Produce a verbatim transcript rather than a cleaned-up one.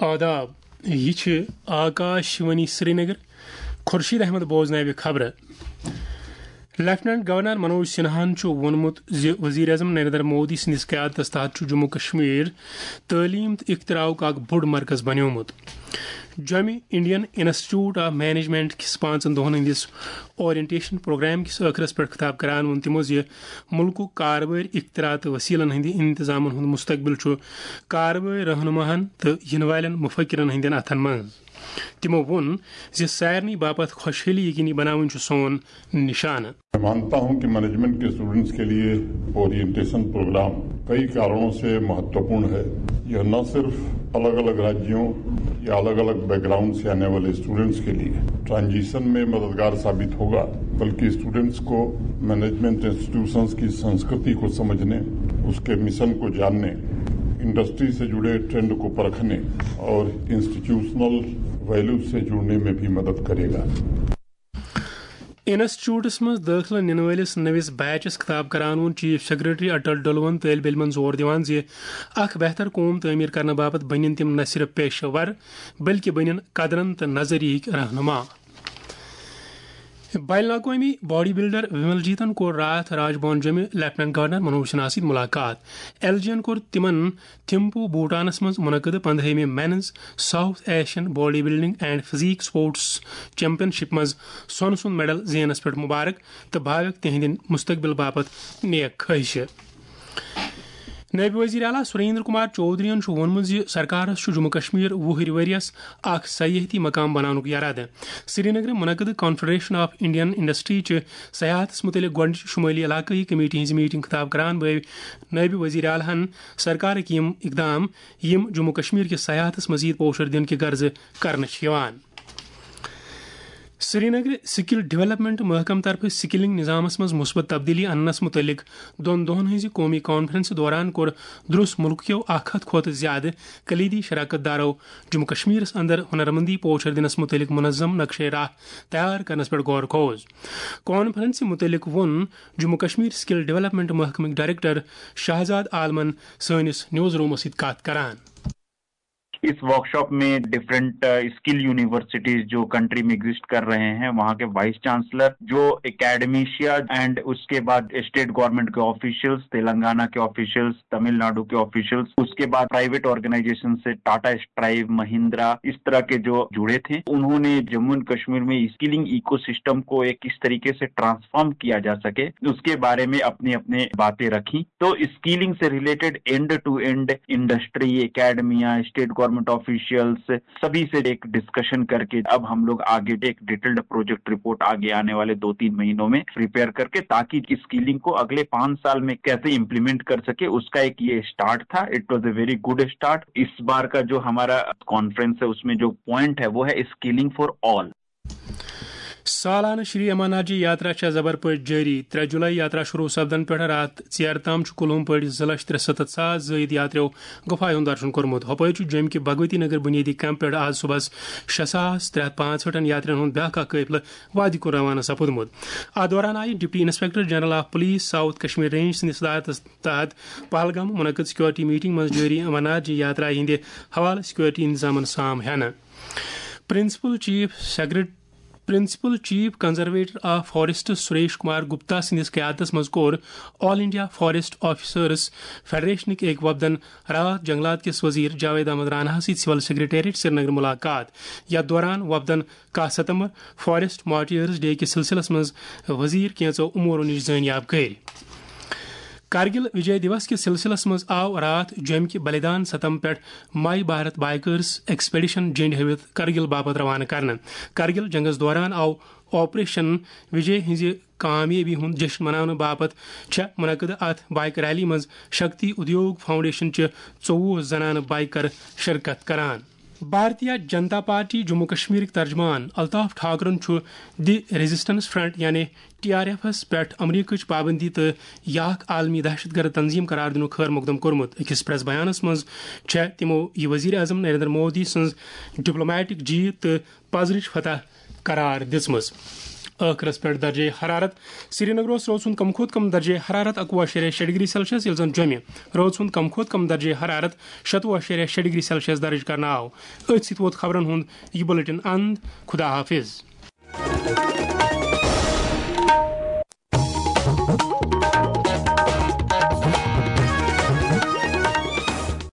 آداب، یہِ چھِ آکاش وانی سرینگر۔ خورشید احمد بوزناوِ خبرٕ۔ لیفٹیننٹ گورنر منوج سنہاہن چھُ ووٚنمُت زِ وزیر اعظم نریندر مودی سٕنٛدِس قیادتس تحت چھُ جموں کشمیر تعلیٖم تہٕ اختراعُک اکھ بوٚڑ مرکز بنیومُت۔ جومہِ انڈین انسٹیٹیوٹ آف مینجمنٹ کِس پانٛژن دۄہن ہٕنٛدِس اورینٹیشن پروگرام کِس ٲخرس پٮ۪ٹھ خطاب کران ووٚن تِمو زِ مُلکُک کاربٲرۍ اختراع تہٕ وسیلن ہٕنٛدِ انتظامن ہُنٛد مستقبل چھُ کاربٲرۍ رہنماہن تہٕ یِنہٕ والٮ۪ن مفکرن ہٕنٛدٮ۪ن اتھن منٛز۔ تِمو ووٚن زِ سارنٕے باپتھ خۄشحٲلی یقینی بناوٕنۍ چھُ سون نشانہٕ۔ میں مانتا ہوں کہ مینجمنٹ کے اسٹوڈنٹس کے لیے اورینٹیشن پروگرام کئی کارنوں سے مہتوپورن ہے۔ یہ نہ صرف الگ الگ راجیوں یا الگ الگ بیک گراؤنڈ سے آنے والے اسٹوڈنٹس کے لیے ٹرانزیشن میں مددگار ثابت ہوگا، بلکہ اسٹوڈنٹس کو مینجمنٹ انسٹیٹیوشنز کی سنسکرتی کو سمجھنے، اس کے مشن کو جاننے، انڈسٹری سے جڑے ٹرینڈ کو پرکھنے اور انسٹیٹیوشنل ویلیوز سے جڑنے میں بھی مدد کرے گا۔ انسٹیٹیوٹس منٛز دٲخلہٕ نِنہٕ وٲلِس نٔوِس بیچس خطاب کران ووٚن چیف سیکرٹری اٹل ڈلوَن طٲلبہِ علمن زور دِوان زِ اکھ بہتر قوم تعمیٖر کرنہٕ باپتھ بٔنِن تِم نہ صرف پیشہٕ ور، بلکہِ بٔنِن قدرن تہٕ نظریہٕکۍ رہنما۔ بین الاقوٲمی باڈی بلڈر ومل جیتن کوٚر راتھ راج بھون جوٚمہِ لیفٹیننٹ گورنر منوج سنہا سۭتۍ ملاقات۔ ایل جی ین کوٚر تِمن تھمپو بھوٹانس منٛز منعقد پندہٲیمہِ men's South Asian body building and physique sports championship منٛز سۄنہٕ سُنٛد میڈل زینس پٮ۪ٹھ مبارک تہٕ بھاویُک تِہنٛدِ مستقبل باپتھ نیک خواہشہِ۔ نٲیِب وزیر اعلیٰ سریندر کمار چودھرین چھُ ووٚنمُت زِ سرکارس چھُ جموں کشمیر وُہٕرۍ ؤرۍ یَس اکھ سیاحتی مقام بناونُک یرادٕ۔ سرینگرٕ منعقد کانفیڈریشن آف انڈین انڈسٹری چہِ سیاحتس مُتعلق گۄڈٕنِچ شمٲلی علاقٲیی کمیٹی ہٕنٛز میٹنگ خطاب کران بٲوۍ نٲیِب وزیر اعلیٰ ہن سرکارٕکۍ یِم اقدام یِم جموں کشمیر کِس سیاحتس مزید پوشر دِنہٕ کہِ غرضہٕ کرنہٕ چھِ یِوان۔ سرینگرٕ سکل ڈیولپمنٹ محکمہٕ طرفہٕ سکلنگ نظامس منٛز مثبت تبدیلی اننس متعلق دۄن دۄہن ہٕنٛزِ قومی کانفرنسہِ دوران کوٚر درس ملکٕکیو اکھ ہتھ کھۄتہٕ زیادٕ کلیدی شراکت دارو جموں کشمیرس اندر ہنرمندی پوچھر دِنس متعلق منظم نقشے راہ تیار کرنس پٮ۪ٹھ غور خوض۔ کانفرنسہِ متعلق ووٚن جموں کشمیر سکل ڈیولپمنٹ محکمٕکۍ ڈائریکٹر شہزاد عالمن سٲنِس نیوز رومس سۭتۍ کتھ کران۔ اس ورکشاپ میں ڈفرنٹ اسکل یونیورسٹیز جو کنٹری میں ایگزسٹ کر رہے ہیں، وہاں کے وائس چانسلر، جو اکیڈمیشیا اینڈ اس کے بعد اسٹیٹ گورنمنٹ کے آفیشلز، تلنگانہ کے آفیشلز، تمل ناڈو کے آفیشلز، اس کے بعد پرائیویٹ آرگنائزیشن سے ٹاٹا اسٹرائیو، مہندرا، اس طرح کے جو جڑے تھے، انہوں نے جموں اینڈ کشمیر میں اسکلنگ ایکو سسٹم کو ایک کس طریقے سے ٹرانسفارم کیا جا سکے، اس کے بارے میں اپنی اپنی باتیں رکھی۔ تو اسکلنگ سے related end to end industry, academia, state government officials, سبھی سے ایک ڈسکشن کر کے اب ہم لوگ آگے ایک ڈیٹیلڈ پروجیکٹ رپورٹ آگے آنے والے دو تین مہینوں میں پریپیئر کر کے، تاکہ اسکلنگ کو اگلے پانچ سال میں کیسے امپلیمنٹ کر سکے، اس کا ایک یہ اسٹارٹ تھا۔ It was a very good start. اس بار کا جو ہمارا کانفرنس ہے، اس میں جو پوائنٹ ہے، وہ ہے اسکلنگ فار آل۔ سالانہٕ شری امرناتھ جی یاترا چھےٚ زبر پٲٹھۍ جٲری۔ ترٛےٚ جُلے یاترا شروع سپدن پٮ۪ٹھ راتھ ژیر تام چھُ کُلہُم پٲٹھۍ زٕ لچھ ترٛسَتتھ ساس زٲیِد یاترِیو گُفایہِ ہُنٛد درشُن کوٚرمُت۔ ہۄپٲرۍ چھُ جوٚمہِ کہِ بھگوتی نگر بُنیٲدی کیمپ پٮ۪ٹھ آز صُبحس شےٚ ساس ترٛےٚ ہتھ پانٛژہٲٹھن یاترین ہُنٛد بیٛاکھ اکھ قٲفلہٕ وادی کُن روانہٕ سپُدمُت۔ اتھ دوران آیہِ deputy inspector general of police south Kashmir range سٕنٛدِس صدارتس تحت پہلگام منعقد سیکورٹی میٹنگ منٛز جٲری امرناتھ جی یاترا ہٕنٛدِ حوالہٕ سیکورٹی انتظامن سام ہٮ۪نہٕ۔ Principal chief secret principal chief conservator of forest Suresh Kumar Gupta سٕنٛدِس قیادتس منٛز کوٚر آل انڈیا فاریسٹ آفیسرز فیڈریشنٕکۍ أکۍ وفدن راتھ جنگلات کِس وزیر جاوید احمد راناہس سۭتۍ سول سیکرٹریٹ سرینگر ملاقات۔ یتھ دوران وفدن کاہ ستمبر فاریسٹ مارٹیئرز ڈے کِس سلسلس منٛز وزیر کینژو امورو نِش زٲنیاب کٔرۍ۔ کرگل وجے دیوس کِس سلسلس منٛز آو راتھ جوٚمہِ کہِ بلیدان ستم پٮ۪ٹھ مائی بھارت بائیکرز ایکسپیڈیشن جنڈ ہٲوِتھ کرگل باپتھ روانہٕ کرنہٕ۔ کرگل جنگس دوران آو آپریشن وجے ہٕنٛزِ کامیٲبی ہُنٛد جشن مناونہٕ باپتھ چھےٚ منعقدٕ اتھ بائیک ریلی منٛز شکتی ادیوگ فاؤنڈیشن چہِ ژوٚوُہ زنانہٕ بائیکر شرکت کران۔ بھارتیہ جنتا پارٹی جموں کشمیرٕکۍ ترجمان الطاف ٹھاکرن چھُ دی ریزسٹنس فرنٹ یعنی ٹی آر ایفس پٮ۪ٹھ امریکٕچ پابندی تہٕ یہِ اکھ عالمی دہشت گرد تنظیم قرار دِنُک خٲر مقدم کوٚرمُت۔ أکِس پریس بیانس منٛز چھےٚ تِمو یہِ وزیر اعظم نریندر مودی سٕنٛز ڈپلومیٹک جیت تہٕ پزرٕچ فتح قرار دِژمٕژ۔ ٲخرس پٮ۪ٹھ درجے حرارت۔ سرینگرس رٲژ ہُنٛد کم کھۄتہٕ کم درجے حرارت اکوُہ اَشاریہ شےٚ ڈگری سیلسیس، ییٚلہِ زن جوٚمہِ رٲژ ہُنٛد کم کھۄتہٕ کم درجے حرارت شتوُہ اَشاریہ شےٚ ڈگری سیلسیس درج کرنہٕ آو۔ أتھۍ سۭتۍ ووت خبرن ہُنٛد یہِ بُلٹن اند۔ خدا حافظ۔